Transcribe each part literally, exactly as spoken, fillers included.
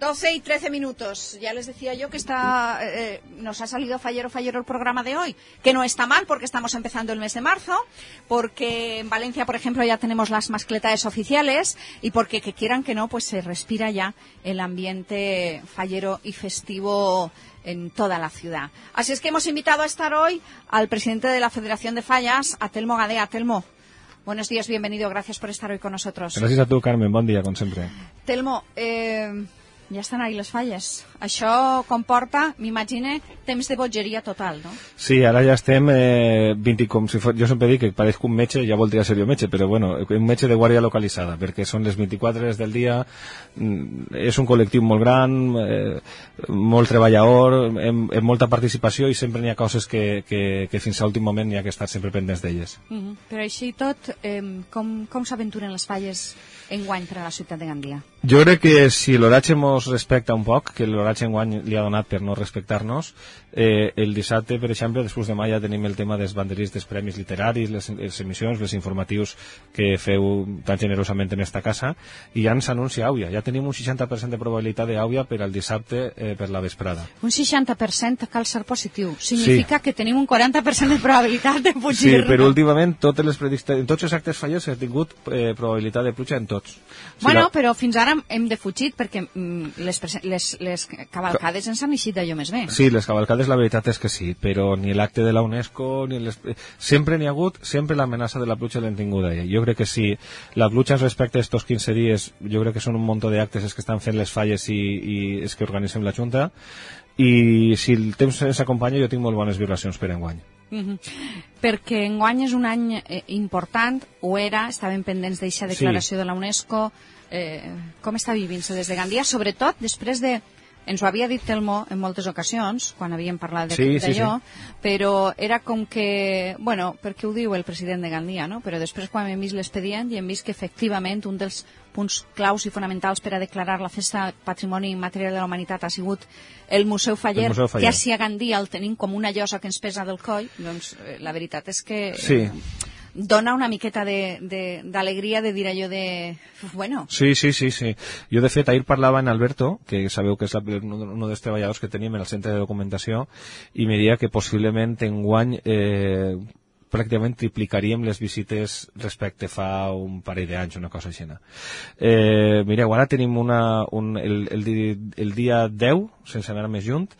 doce y trece minutos. Ya les decía yo que está, eh, nos ha salido fallero, fallero el programa de hoy, que no está mal porque estamos empezando el mes de marzo, porque en Valencia, por ejemplo, ya tenemos las mascletaes oficiales y porque, que quieran que no, pues se respira ya el ambiente fallero y festivo en toda la ciudad. Así es que hemos invitado a estar hoy al presidente de la Federación de Fallas, a Telmo Gadea. Telmo, buenos días, bienvenido, gracias por estar hoy con nosotros. Gracias a tu, Carmen, bon dia, com sempre. Telmo, eh, ja estan ahí les falles. Això comporta, m'imagine, temps de bogeria total, no? Sí, ara ja estem eh, vint, com si fos, jo sempre dic que parezco un metge, ja voldria ser jo metge, però bueno, un metge de guàrdia localitzada, perquè són les vint-i-quatre hores del dia, és un col·lectiu molt gran, eh, molt treballador, amb, amb molta participació i sempre n'hi ha coses que, que, que fins a l'últim moment n'hi ha que estar sempre pendents d'elles. Mm-hmm. Però així i tot, eh, com, com s'aventuren les falles enguany per a la ciutat de Gandia? Jo crec que si l'oratge mos respecta un poc, que l'oratge enguany li ha donat per no respectar-nos, eh, el dissabte, per exemple, després de ja tenim el tema dels banderits dels premis literaris, les, les emissions, els informatius que feu tan generosament en esta casa, i ja ens anuncia àuia. Ja tenim un seixanta per cent de probabilitat d'àuia per al dissabte eh, per la vesprada. Un seixanta per cent cal ser positiu. Significa sí. que tenim un quaranta per cent de probabilitat de fugir. Sí, però últimament totes les predictes, en tots els actes fallers s'ha tingut eh, probabilitat de pluja en tots. O bueno, la... però fins ara hem defugit perquè mm, les, les, les cavalcades ens han eixit d'allò més bé. Sí, les cavalcades la veritat és que sí, però ni l'acte de la UNESCO, ni les... sempre n'hi ha hagut, sempre l'amenaça de la pluja l'hem tingut allà. Jo crec que si la pluja ens respecta estos quinze dies, jo crec que són un munt d'actes els que estan fent les falles i, i els que organitzem la Junta, i si el temps ens acompanya jo tinc molt bones vibracions per enguany. Mm-hmm. Perquè enguany és un any eh, important, ho era, estaven pendents d'eixa declaració sí. de la UNESCO. Eh, com està vivint-se des de Gandia, sobretot després de, ens ho havia dit Telmo en moltes ocasions quan havíem parlat d'allò, sí, sí, sí. però era com que, bueno, perquè ho diu el president de Gandia, no? Però després quan hem vist l'expedient i hem vist que efectivament un dels punts claus i fonamentals per a declarar la festa Patrimoni Immaterial de la Humanitat ha sigut el Museu Faller, el Museu Faller. Que així a Gandia el tenim com una llosa que ens pesa del coll, doncs eh, la veritat és que... Sí. Eh, dona una miqueta d'alegria de, de, de dir allò de... Bueno. Sí, sí, sí, sí. Jo, de fet, ahir parlava en Alberto, que sabeu que és la, un dels treballadors que tenim en el centre de documentació, i me deia que possiblement enguany eh, pràcticament triplicaríem les visites respecte fa un parell d'anys, una cosa així. Eh, mireu, ara tenim una, un, el, el, el dia deu, sense anar més junt,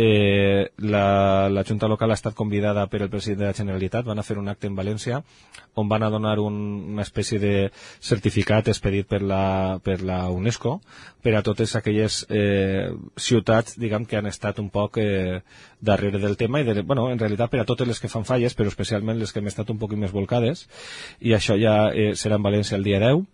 Eh, la, la Junta Local ha estat convidada per el president de la Generalitat, van a fer un acte en València on van a donar un, una espècie de certificat expedit per la, per la UNESCO per a totes aquelles eh, ciutats, diguem, que han estat un poc eh, darrere del tema i, de, bueno, en realitat per a totes les que fan falles, però especialment les que hem estat un poc més volcades, i això ja eh, serà en València el dia deu.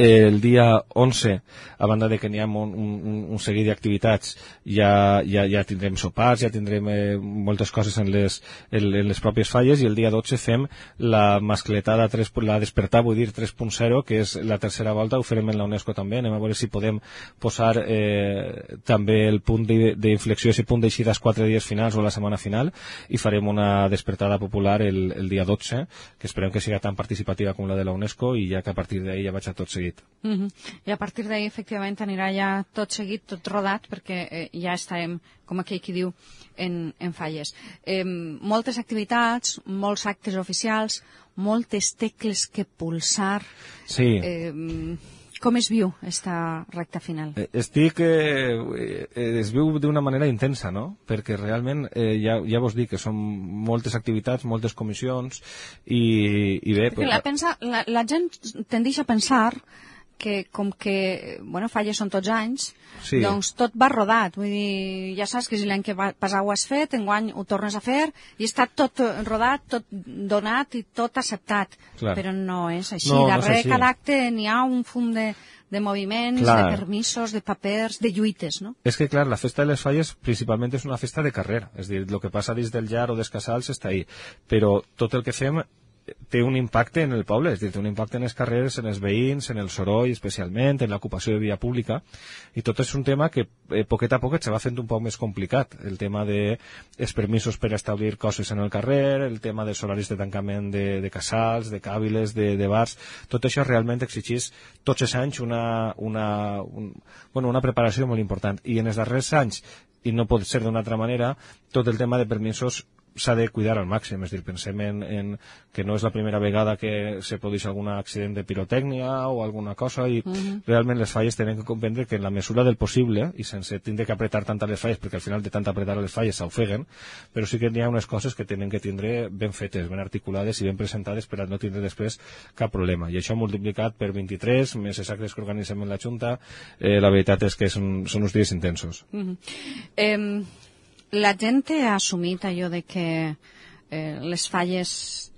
El dia onze, a banda de que n'hi ha un, un, un seguit d'activitats, ja, ja, ja tindrem sopars, ja tindrem eh, moltes coses en les, en, en les pròpies falles, i el dia dotze fem la mascletada, tres, la despertar, vull dir, tres punt zero, que és la tercera volta, ho farem en la UNESCO també, anem a veure si podem posar eh, també el punt d'inflexió, si punt d'eixida als quatre dies finals o la setmana final, i farem una despertada popular el, el dia dotze, que esperem que sigui tan participativa com la de la UNESCO, i ja que a partir d'ahir ja vaig a tot seguit. Mm-hmm. I a partir d'ahir efectivament anirà ja tot seguit, tot rodat, perquè eh, ja estarem, com aquell qui diu, en, en falles. Eh, moltes activitats, molts actes oficials, moltes tecles que pulsar. Sí. Eh, com es viu esta recta final? Estic, eh, es viu d'una manera intensa, no? Perquè realment, eh, ja, ja vos dic que són moltes activitats, moltes comissions, i, i bé... Perquè la, pensa, la, la gent tendeix a pensar que com que, bueno, falles són tots anys, sí. doncs tot va rodat. Vull dir, ja saps que si l'any que va passar ho has fet, enguany ho tornes a fer, i està tot rodat, tot donat i tot acceptat. Clar. Però no és així. No, darrere no és així. Cada acte n'hi ha un fum de, de moviments, clar. De permisos, de papers, de lluites, no? És que, clar, la festa de les falles principalment és una festa de carrer. És a dir, el que passa dins del llar o dels casals està ahí. Però tot el que fem té un impacte en el poble, és a dir, té un impacte en les carreres, en els veïns, en el soroll especialment, en l'ocupació de via pública, i tot és un tema que eh, poquet a poquet se va fent un poc més complicat, el tema de els permisos per establir coses en el carrer, el tema dels horaris de tancament de, de casals, de càbiles, de, de bars, tot això realment exigís tots els anys una, una, un, bueno, una preparació molt important, i en els darrers anys, i no pot ser d'una altra manera, tot el tema de permisos s'ha de cuidar al màxim, és a dir, pensem en, en que no és la primera vegada que se produeix algun accident de pirotècnia o alguna cosa, i uh-huh. realment les falles tenen que comprendre que en la mesura del possible, i sense tindre que apretar tant les falles, perquè al final de tant apretar les falles s'ofeguen, però sí que n'hi ha unes coses que tenen que tindre ben fetes, ben articulades i ben presentades per a no tindre després cap problema, i això multiplicat per vint-i-tres, més els actes que organitzem en la Junta, eh, la veritat és que són, són uns dies intensos. Uh-huh. Eh... La gent ha assumit allò de que eh, les falles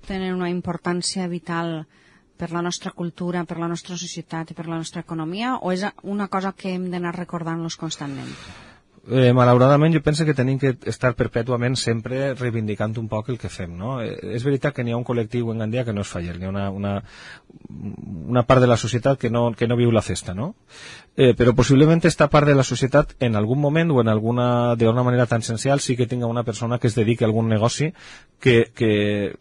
tenen una importància vital per la nostra cultura, per la nostra societat i per la nostra economia, o és una cosa que hem d'anar recordant-los constantment? Eh, malauradament jo penso que tenim que estar perpètuament sempre reivindicant un poc el que fem, no? Eh, és veritat que n'hi ha un col·lectiu en Gandia que no és faller, n'hi ha una, una, una part de la societat que no, que no viu la festa, no? Eh, però possiblement esta part de la societat en algun moment o en alguna, d'una manera tan essencial sí que tinga una persona que es dediqui a algun negoci que, que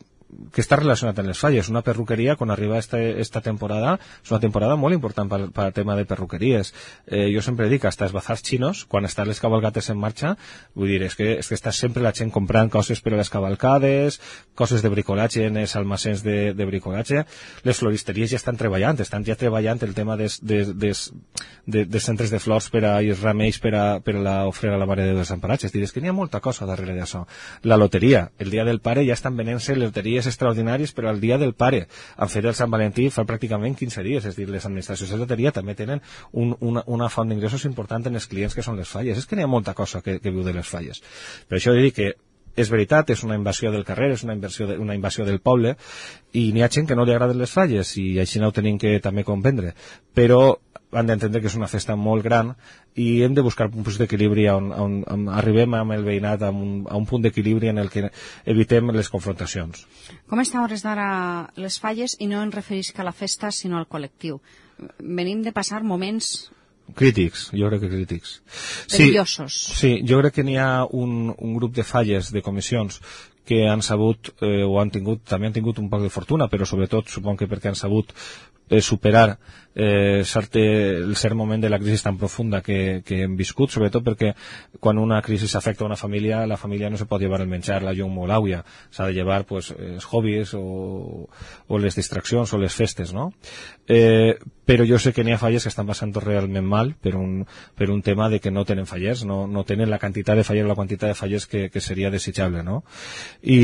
que està relacionat amb les falles. Una perruqueria, quan arriba esta, esta temporada, és una temporada molt important per, per al tema de perruqueries. Eh, jo sempre dic, hasta els bazars xinos, quan estan les cavalgates en marxa, vull dir, és que, és que està sempre la gent comprant coses per a les cavalcades, coses de bricolatge en els almacens de, de bricolatge. Les floristeries ja estan treballant, estan ja treballant el tema des, des, des, de, de centres de flors per a, i remeis per a, per a l'ofrena a la Mare de Déu dels Emparats. És dir, és que n'hi ha molta cosa darrere d'això. La loteria, el dia del pare ja estan venent-se loteries extraordinaris, però el dia del pare han fet el Sant Valentí fa pràcticament quinze dies, és dir, les administracions de loteria també tenen un, una, una font d'ingressos important en els clients que són les falles. És que n'hi ha molta cosa que, que viu de les falles. Per això he dit que és veritat, és una invasió del carrer, és una invasió, de, una invasió del poble, i n'hi ha gent que no li agraden les falles, i així no ho tenim que també comprendre, però han d'entendre que és una festa molt gran i hem de buscar punts d'equilibri on, on, on arribem amb el veïnat a un, a un punt d'equilibri en el que evitem les confrontacions. Com està a hores d'ara les falles, i no em referisc a la festa sinó al col·lectiu? Venim de passar moments crítics, jo crec que crítics. perillosos. Sí, sí, jo crec que n'hi ha un, un grup de falles, de comissions, que han sabut, eh, o han tingut, també han tingut un poc de fortuna, però sobretot suponc que perquè han sabut eh, superar eh, cert, el cert moment de la crisi tan profunda que, que hem viscut, sobretot perquè quan una crisi afecta a una família, la família no se pot llevar el menjar, la llum o l'àuia, s'ha de llevar pues, els hobbies o, o les distraccions o les festes, no? Eh, però jo sé que n'hi ha falles que estan passant realment mal per un, per un tema de que no tenen fallers, no, no tenen la quantitat de fallers o la quantitat de fallers que, que seria desitjable, no? I,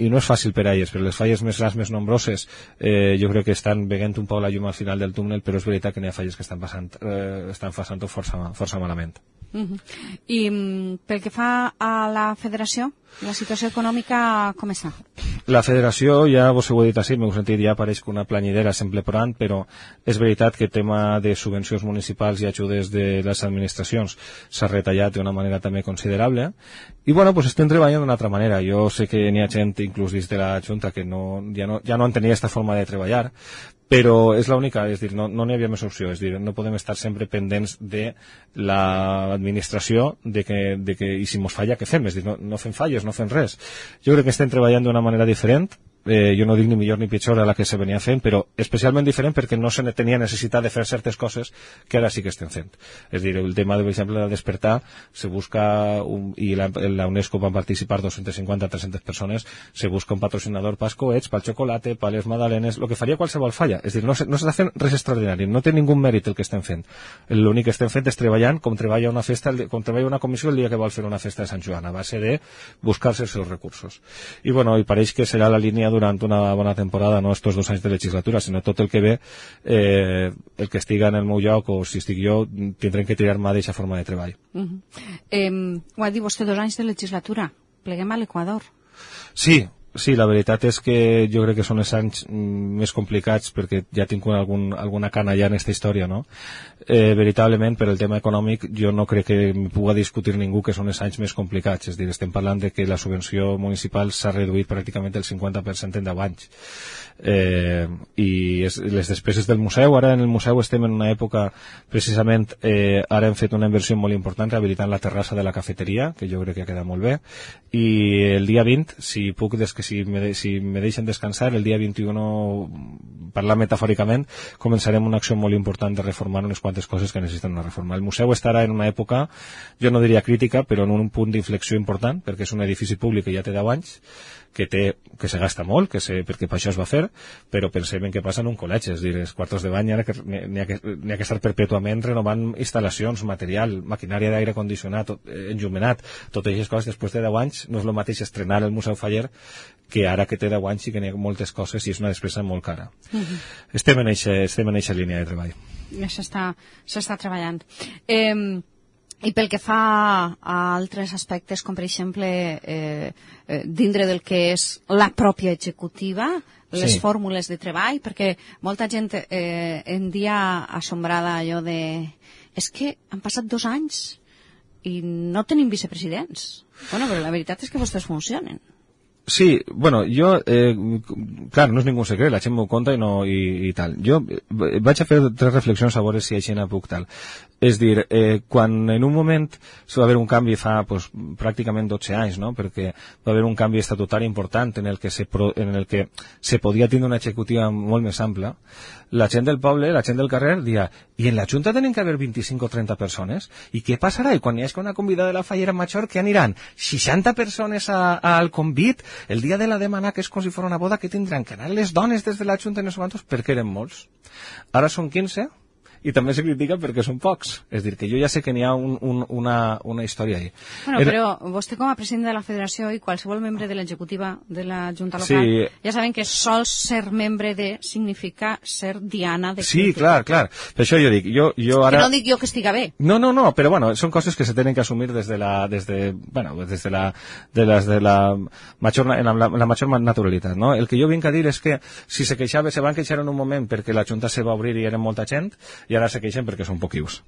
i no és fàcil per a elles, però les falles més grans, més nombroses, eh, jo crec que estan veient un poc la llum al final del túnel, però és veritat que n'hi ha falles que estan passant, eh, estan passant força, força malament. Uh-huh. I um, pel que fa a la federació, la situació econòmica com està? La federació, ja vos ho he dit així, m'heu sentit, ja pareix que una planyidera sempre plorant, però és veritat que el tema de subvencions municipals i ajudes de les administracions s'ha retallat d'una manera també considerable, i bueno, pues estem treballant d'una altra manera. Jo sé que n'hi ha gent, inclús dins de la Junta, que no, ja, no, ja no entenia aquesta forma de treballar, però és l'única, és dir, no n'hi no havia més opció, és dir, no podem estar sempre pendents de l'administració, de que, de que, i si mos falla, què fem? És dir, no, no fem falles, no fem res. Jo crec que estem treballant d'una manera diferent, eh, jo no dic ni millor ni pitjor a la que se venia fent, però especialment diferent perquè no se tenia necessitat de fer certes coses que ara sí que estem fent. És dir, el tema, de, per exemple, de despertar, se busca, un, i la, la UNESCO van participar dos-centes cinquanta a tres-centes persones, se busca un patrocinador pels coets, pel xocolate, per les magdalenes, el que faria qualsevol falla. És dir, no s'està no fent res extraordinari, no té ningú mèrit el que estem fent. L'únic que estem fent és treballant com treballa una festa, com treballa una comissió el dia que vol fer una festa de Sant Joan, a base de buscar-se els seus recursos. I bueno, i pareix que serà la línia durant una bona temporada, no estos dos anys de legislatura, sinó tot el que ve, eh, el que estiga en el meu lloc o si estic jo, tindrem que tirar mà d'aquesta forma de treball. Uh -huh. eh, ho ha dit vostè, dos anys de legislatura. Pleguem a l'Equador. Sí, Sí, la veritat és que jo crec que són els anys més complicats perquè ja tinc algun, alguna cana ja en aquesta història, no? Eh, veritablement, per el tema econòmic, jo no crec que em pugui discutir ningú que són els anys més complicats. És a dir, estem parlant de que la subvenció municipal s'ha reduït pràcticament el cinquanta per cent en deu anys. Eh, i es, les despeses del museu, ara en el museu estem en una època precisament, eh, ara hem fet una inversió molt important rehabilitant la terrassa de la cafeteria, que jo crec que ha quedat molt bé, i el dia vint, si puc des que si me, de, si me deixen descansar, el dia vint-i-u, parlant metafòricament, començarem una acció molt important de reformar unes quantes coses que necessiten una reforma. El museu estarà en una època, jo no diria crítica, però en un punt d'inflexió important, perquè és un edifici públic que ja té deu anys, que té, que se gasta molt, que se, perquè per això es va fer, però pensem en què passa en un col·legi, és a dir, els quartos de bany n'hi ha, ha, que, ha que estar perpètuament renovant instal·lacions, material, maquinària d'aire condicionat, tot, eh, enllumenat, totes aquestes coses després de deu anys, no és el mateix estrenar el Museu Faller que ara que té deu anys i que n'hi ha moltes coses i és una despesa molt cara. Uh-huh. Estem en eixa línia de treball. S'està treballant. Eh, I pel que fa a altres aspectes, com per exemple eh, eh, dintre del que és la pròpia executiva, les sí. fórmules de treball, perquè molta gent eh, en dia assombrada allò de és que han passat dos anys i no tenim vicepresidents. Bueno, però la veritat és que vostès funcionen. Sí, bueno, jo, eh, clar, no és ningú secret, la gent m'ho conta i, no, i, i tal. Jo vaig a fer tres reflexions a veure si així no puc tal. És dir, eh, quan en un moment va haver un canvi fa pues, pràcticament dotze anys, no? Perquè va haver un canvi estatutari important en el que se, pro, en el que se podia tindre una executiva molt més ampla, la gent del poble, la gent del carrer, dia, i en la Junta tenen que haver vint-i-cinc o trenta persones? I què passarà? I quan hi hagi una convidada de la Fallera Major, què aniran? seixanta persones a, a, al convit? El dia de la demanar, que és com si fos una boda, que tindran que anar les dones des de la Junta i no sé quantos? Perquè eren molts. Ara són quinze, i també se critica perquè són pocs. És dir, que jo ja sé que n'hi ha un, un, una, una història ahí. Bueno, Era... però vostè com a president de la federació i qualsevol membre de l'executiva de la Junta Local, sí. ja saben que sols ser membre de significa ser diana de... Sí, clar, clar. Per això jo dic, jo, jo ara... Que no dic jo que estiga bé. No, no, no, però bueno, són coses que se tenen que assumir des de la, des de, bueno, des de la, de les de la major, en la, la major naturalitat, no? El que jo vinc a dir és que si se queixava, se van queixar en un moment perquè la Junta se va obrir i eren molta gent, i ara se queixen perquè són poquius.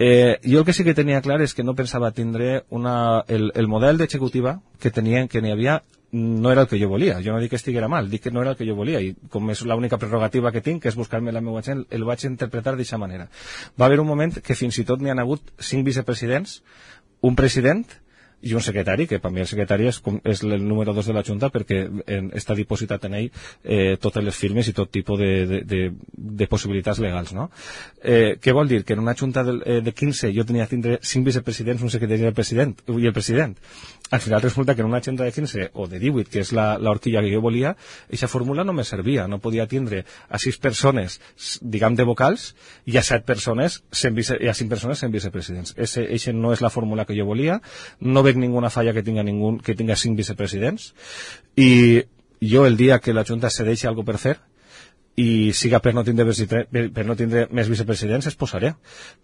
Eh, jo el que sí que tenia clar és que no pensava tindre una, el, el model d'executiva que tenien, que n'hi havia, no era el que jo volia. Jo no dic que estiguera mal, dic que no era el que jo volia, i com és l'única prerrogativa que tinc, que és buscar-me la meva gent, el vaig interpretar d'aquesta manera. Va haver un moment que fins i tot n'hi ha hagut cinc vicepresidents, un president i un secretari, que per mi el secretari és, és el número dos de la Junta perquè en, està dipositat en ell eh, totes les firmes i tot tipus de, de, de, de possibilitats legals, no? Eh, què vol dir? Que en una Junta de, eh, de quinze jo tenia que tindre cinc vicepresidents, un secretari i el president, i el president. Al final resulta que en una Junta de quinze o de divuit, que és la, la horquilla que jo volia, aquesta fórmula no me servia. No podia tindre a sis persones, diguem, de vocals, i a set persones, vice, i a cinc persones sent vicepresidents. Eixa no és la fórmula que jo volia. No veig ninguna falla que tinga, ningú, que tinga cinc vicepresidents, i jo el dia que la Junta se deixi alguna per fer i siga per no tindre, per no tindre més vicepresidents, es posaré.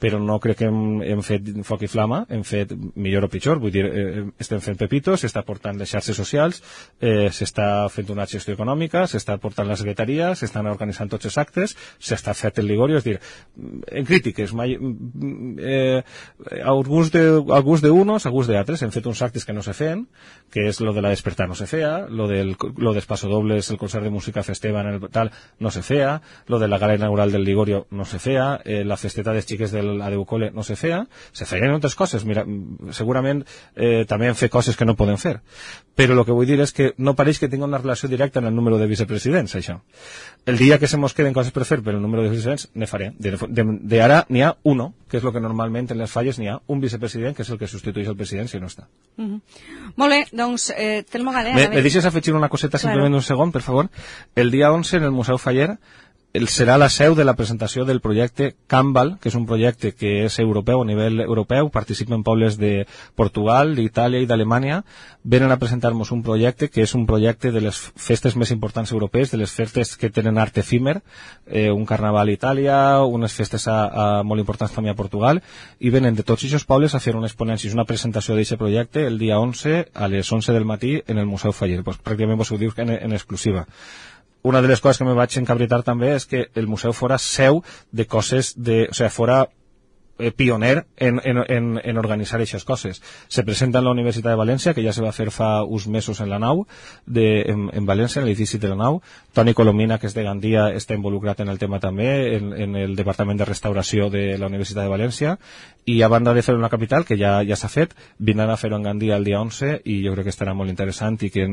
Però no crec que hem, hem fet foc i flama, hem fet millor o pitjor, vull dir, eh, estem fent pepitos, s'està portant les xarxes socials, eh, s'està fent una gestió econòmica, s'està portant la secretaria, s'estan organitzant tots els actes, s'està fet el Ligorio, és dir, en crítiques, mai, eh, a gust de, a gust d'unos, a gust d'altres, hem fet uns actes que no se feien, que és lo de la despertar no se feia, lo del, lo dels passodobles, el concert de música Festeban, el tal, no se fea, lo de la gala inaugural del Ligorio no se fea, eh, la festeta dels xiques del Adeucole no se fea, se feien altres coses, mira, segurament eh, també hem fet coses que no podem fer, però el que vull dir és que no pareix que tingui una relació directa en el número de vicepresidents, això. El dia que se mos queden coses per fer per el número de vicepresidents, ne faré. De, de, de ara n'hi ha uno, que és el que normalment en les falles n'hi ha un vicepresident, que és el que substitueix el president si no està. Uh -huh. Molt bé, doncs, eh, Telmo Gadea... Me, me deixes afegir una coseta, claro. Simplement un segon, per favor. El dia onze en el Museu Faller el, serà la seu de la presentació del projecte Canval, que és un projecte que és europeu, a nivell europeu, participen pobles de Portugal, d'Itàlia i d'Alemanya, venen a presentar-nos un projecte que és un projecte de les festes més importants europees, de les festes que tenen art efímer, eh, un carnaval a Itàlia, unes festes a, a molt importants també a Portugal, i venen de tots aquests pobles a fer unes ponències, una presentació d'aquest projecte el dia onze a les onze del matí en el Museu Faller. Pues, pràcticament vos ho dius en, en exclusiva. Una de les coses que me vaig encabritar també és que el museu fora seu de coses, de, o sigui, fora eh, pioner en, en, en, en organitzar aquestes coses. Se presenta en la Universitat de València, que ja se va fer fa uns mesos en la nau, de, en, en València, en l'edifici de la nau. Toni Colomina, que és de Gandia, està involucrat en el tema també, en, en el Departament de Restauració de la Universitat de València, i a banda de fer una capital, que ja ja s'ha fet, vindran a fer-ho en Gandia el dia onze, i jo crec que estarà molt interessant i que,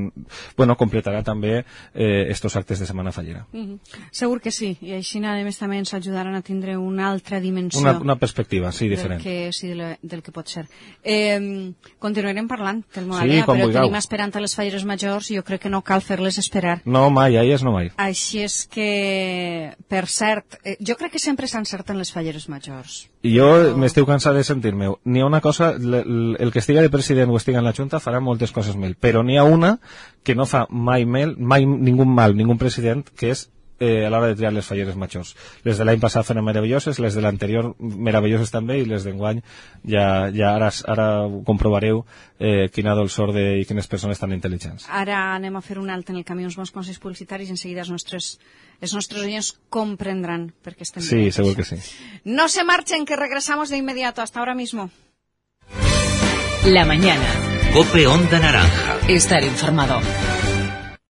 bueno, completarà també eh, estos actes de Setmana Fallera. Mm-hmm. Segur que sí, i així a més també ens ajudaran a tindre una altra dimensió. Una, una perspectiva, sí, diferent. Del que, sí, del, del que pot ser. Eh, continuarem parlant del Moralia, sí, però vulgueu. Tenim esperant a les Falleres Majors i jo crec que no cal fer-les esperar. No, mai, ahir no mai. Així és que, per cert, eh, jo crec que sempre s'encerten les Falleres Majors. I jo però... m'estiu cansat de sentir-me. N'hi ha una cosa, el, el que estiga de president o estiga en la Junta farà moltes coses mel, però n'hi ha una que no fa mai mel, mai ningú mal, ningú president, que és eh, a l'hora de triar les Falleres Majors. Les de l'any passat foren meravelloses, les de l'anterior meravelloses també, i les d'enguany ja, ja ara, ara comprovareu eh, quina dolçor de, i quines persones tan intel·ligents. Ara anem a fer un alt en el camí uns bons consells publicitaris i en seguida els nostres, els nostres oients comprendran per què estem Sí, segur que sí. No se marchen, que regresamos de inmediato. Hasta ahora mismo. La mañana. Cope Onda Naranja. Estar informado.